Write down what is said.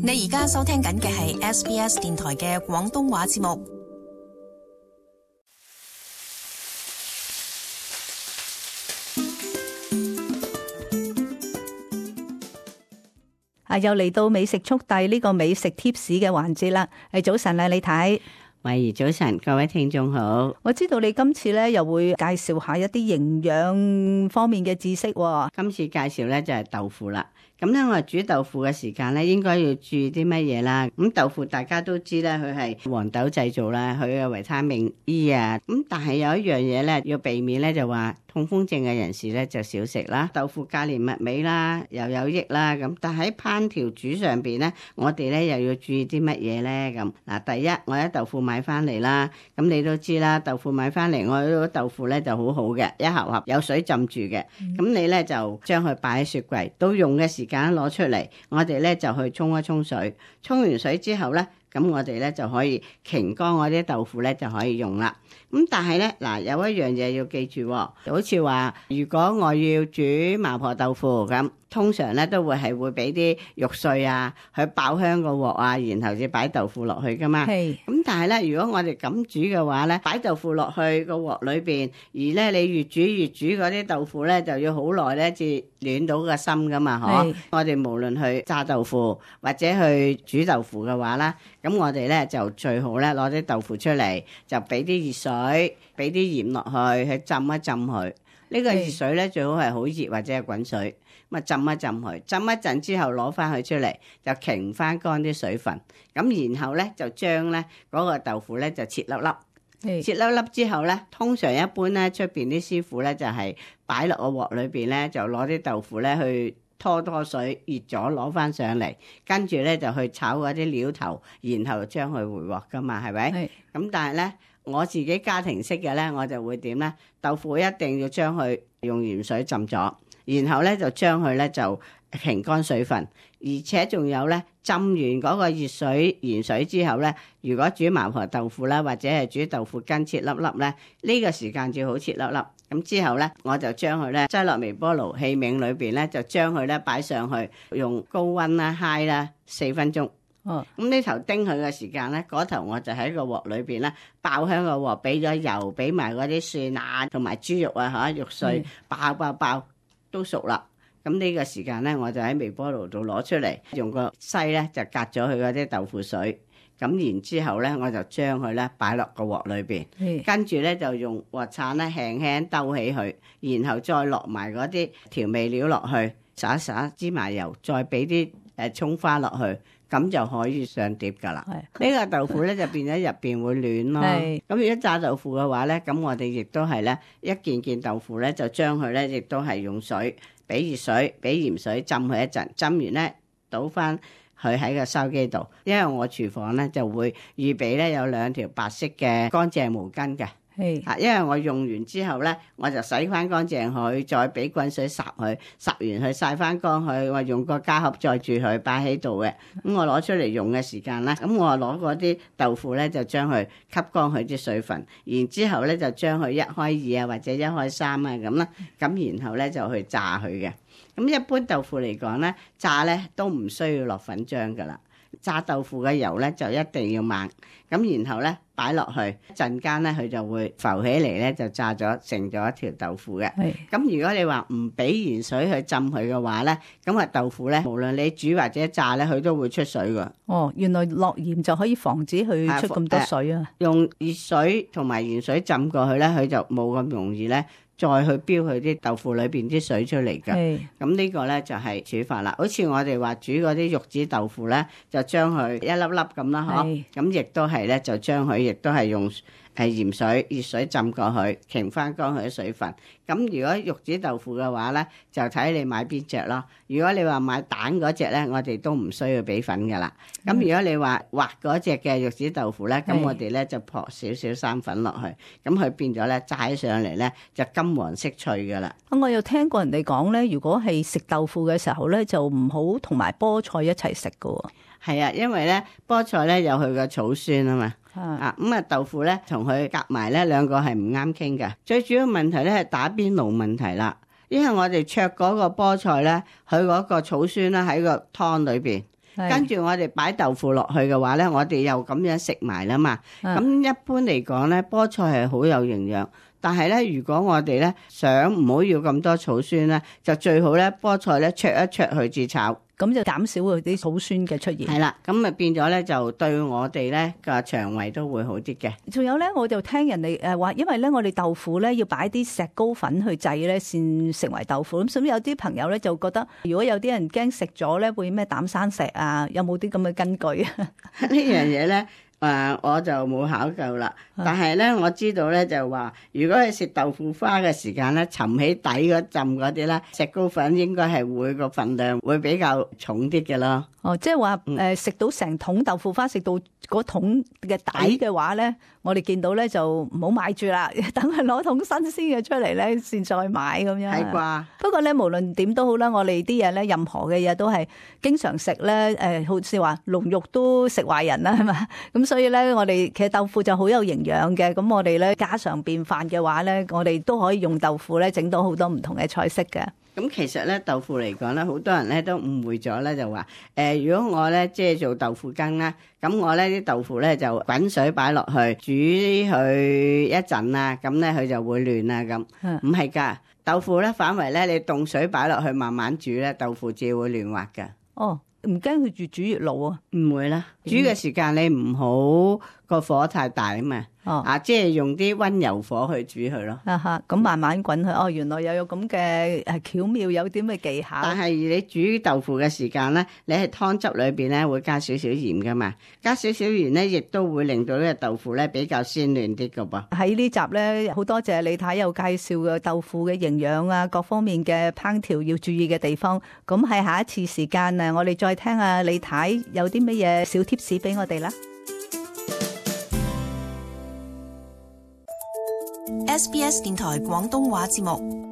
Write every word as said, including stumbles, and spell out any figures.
你而家收聽緊嘅係 S B S 電台嘅廣東話節目。啊，又嚟到美食速遞呢個美食貼士嘅環節啦。係早晨啊，李太。慧怡早晨，各位聽眾好。我知道你今次咧又會介紹下一啲營養方面嘅知識。今次介紹咧就係豆腐啦。咁咧我哋煮豆腐嘅時間咧，應該要注意啲乜嘢啦？咁豆腐大家都知咧，佢係黃豆製造啦，佢嘅維他命 E 啊。咁但係有一樣嘢咧要避免咧，就話痛風症嘅人士咧就少食啦。豆腐價廉物美啦，又有益啦。咁但喺烹調煮上邊咧，我哋咧又要注意啲乜嘢咧？咁嗱，第一我喺豆腐買翻嚟啦，咁你都知啦，豆腐買翻嚟，我嗰個豆腐咧就好好嘅，一盒盒有水浸住嘅。咁、嗯、你咧就將佢擺喺雪櫃，到用嘅時間攞出嚟，我哋咧就去沖一沖水，沖完水之後咧，咁我哋咧就可以擎乾我啲豆腐咧就可以用啦。咁但係咧嗱，有一樣嘢要記住，好似話如果我要煮麻婆豆腐咁，通常咧都會係會俾啲肉碎啊，去爆香個鑊啊，然後至擺豆腐落去噶嘛。係。咁但係咧，如果我哋咁煮嘅話咧，擺豆腐落去個鑊裏邊，而咧你越煮越煮嗰啲豆腐咧，就要好耐咧至暖到個心噶嘛，嗬。我哋無論去炸豆腐或者去煮豆腐嘅話啦，咁我哋咧就最好咧攞啲豆腐出嚟，就俾啲熱水，俾啲鹽落去，去浸一浸佢。呢個熱水咧最好係好熱或者係滾水，咁啊浸一浸佢，浸一陣之後攞翻佢出嚟，就擎翻乾啲水分，咁然後咧就將咧嗰個豆腐咧就切粒粒，切粒粒之後咧，通常一般咧出邊啲師傅咧就係擺落個鑊裏邊咧，就攞啲豆腐咧去拖拖水，熱咗攞翻上嚟，跟住咧就去炒嗰啲料頭，然後將佢回鑊噶嘛，係咪？咁但係咧。我自己家庭式嘅咧，我就會點咧？豆腐一定要將佢用鹽水浸咗，然後咧就將佢咧就擎乾水分，而且仲有咧浸完嗰個熱水鹽水之後咧，如果煮麻婆豆腐啦，或者係煮豆腐筋切粒粒咧，呢個時間最好切粒粒。咁之後咧，我就將佢咧擠落微波爐器皿裏邊咧，就將佢咧擺上去，用高溫啦、揩啦四分鐘。哦，咁呢頭叮佢嘅時間咧，嗰頭我就喺個鑊裏邊咧爆香個鑊，俾咗油，俾埋嗰啲蒜啊同埋豬肉啊嚇肉碎，爆爆爆都熟啦。咁呢個時間咧，我就喺微波爐度攞出嚟，用個篩咧就隔咗佢嗰啲豆腐水。咁然之後咧，我就將佢咧擺落個鑊裏邊，跟住咧就用鑊鏟咧輕輕兜起佢，然後再落埋嗰啲調味料落去，撒一撒芝麻油，再俾啲誒葱花落去。咁就可以上碟噶啦。呢個豆腐咧就變咗入邊會暖咯。咁如果炸豆腐嘅話咧，咁我哋亦都係咧一件件豆腐咧就將佢咧亦都係用水，俾熱水，俾鹽水浸佢一陣，浸完咧倒翻佢喺個筲箕度。因為我廚房咧就會預備咧有兩條白色嘅乾淨毛巾嘅。係，因為我用完之後咧，我就洗翻乾淨佢，再俾滾水霎佢，霎完佢曬翻乾佢，我用個膠盒載住佢擺喺度嘅。咁我攞出嚟用嘅時間啦，咁我攞嗰啲豆腐咧就將佢吸乾佢啲水分，然之後咧就將佢一開二啊或者一開三啊咁啦，咁然後咧就去炸佢嘅。咁一般豆腐嚟講咧，炸咧都唔需要落粉漿噶啦。炸豆腐嘅油咧就一定要猛，咁然後咧擺落去陣間咧佢就會浮起嚟咧，就炸咗成咗一條豆腐嘅。咁如果你話唔俾鹽水去浸佢嘅話咧，咁啊豆腐咧無論你煮或者炸咧，佢都會出水噶。哦，原來落鹽就可以防止佢出咁多水啊！用熱水同埋鹽水浸過去咧，佢就冇咁容易咧。再去飆佢啲豆腐裏邊啲水出嚟㗎，咁呢個咧就係煮法啦。好似我哋話煮嗰啲玉子豆腐咧，就將佢一粒粒咁啦，嗬。咁亦都係咧，就將佢亦都係用誒鹽水、熱水浸過去，擎翻乾佢啲水分。咁如果玉子豆腐嘅話咧，就睇你買邊隻咯。如果你話買蛋嗰隻咧，我哋都唔需要俾粉噶啦。咁如果你話滑嗰隻嘅玉子豆腐咧，咁我哋咧就撲少少生粉落去，咁佢變咗咧炸起上嚟咧就金黃色脆噶啦。我又聽過人哋講咧，如果係食豆腐嘅時候咧，就唔好同埋菠菜一齊食噶喎。係啊，因為咧菠菜咧有佢個草酸啊嘛。啊咁啊豆腐咧同佢夾埋咧兩個係唔啱傾㗎。最主要問題咧係打邊爐問題啦，因為我哋焯嗰個菠菜咧，佢嗰個草酸咧喺個湯裏邊，跟住我哋擺豆腐落去嘅話咧，我哋又咁樣食埋啦嘛。咁一般嚟講咧，菠菜係好有營養。但係咧，如果我哋咧想唔好要咁多草酸咧，就最好咧菠菜咧焯一焯去至炒，咁就減少嗰啲草酸嘅出現。係啦，咁咪變咗咧就對我哋咧個腸胃都會好啲嘅。仲有咧，我就聽人哋誒話，因為咧我哋豆腐咧要擺啲石膏粉去製咧，先成為豆腐。咁所以有啲朋友咧就覺得，如果有啲人驚食咗咧會咩膽生石啊，有冇啲咁嘅根據啊？呢樣嘢咧。誒、呃、我就冇考究啦，但係咧我知道咧就話，如果係食豆腐花嘅時間咧，沉起底嗰浸嗰啲咧，石膏粉應該係會個份量會比較重啲嘅咯。哦，即係話誒食到成桶豆腐花，食到嗰桶嘅底嘅話咧，我哋見到咧就唔好買住啦，等佢攞桶新鮮嘅出嚟咧，先再買咁樣。係啩？不過咧，無論點都好啦，我哋啲嘢咧，任何嘅嘢都係經常食咧。誒，好似話龍肉都食壞人啦，係嘛？咁所以咧，我哋其實豆腐就好有營養嘅。咁我哋咧家常便飯嘅話咧，我哋都可以用豆腐咧整到好多唔同嘅菜式嘅。咁其實咧豆腐嚟講咧，好多人咧都誤會咗咧，就話誒、呃，如果我咧即係做豆腐羹啦，咁我咧啲豆腐咧就滾水擺落去煮佢一陣啊，咁咧佢就會亂啊咁。唔係㗎，豆腐咧反為咧你凍水擺落去慢慢煮咧，豆腐至會亂滑㗎。哦，唔驚佢越煮越老啊？唔會啦，煮嘅時間你唔好個火太大啊嘛。哦，啊，即係用啲溫柔火去煮佢咯。啊哈，咁慢慢滾佢。哦，原來又有咁嘅誒巧妙，有啲咩技巧。但係你煮豆腐嘅時間咧，你喺湯汁裏邊咧會加少少鹽噶嘛，加少少鹽咧，亦都會令到呢個豆腐咧比較鮮嫩啲噶噃。喺呢集咧，好多謝李太有介紹嘅豆腐嘅營養啊，各方面嘅烹調要注意嘅地方。咁喺下一次時間啊，我哋再聽下李太有啲乜嘢小貼士俾我哋啦。S B S 電台廣東話節目。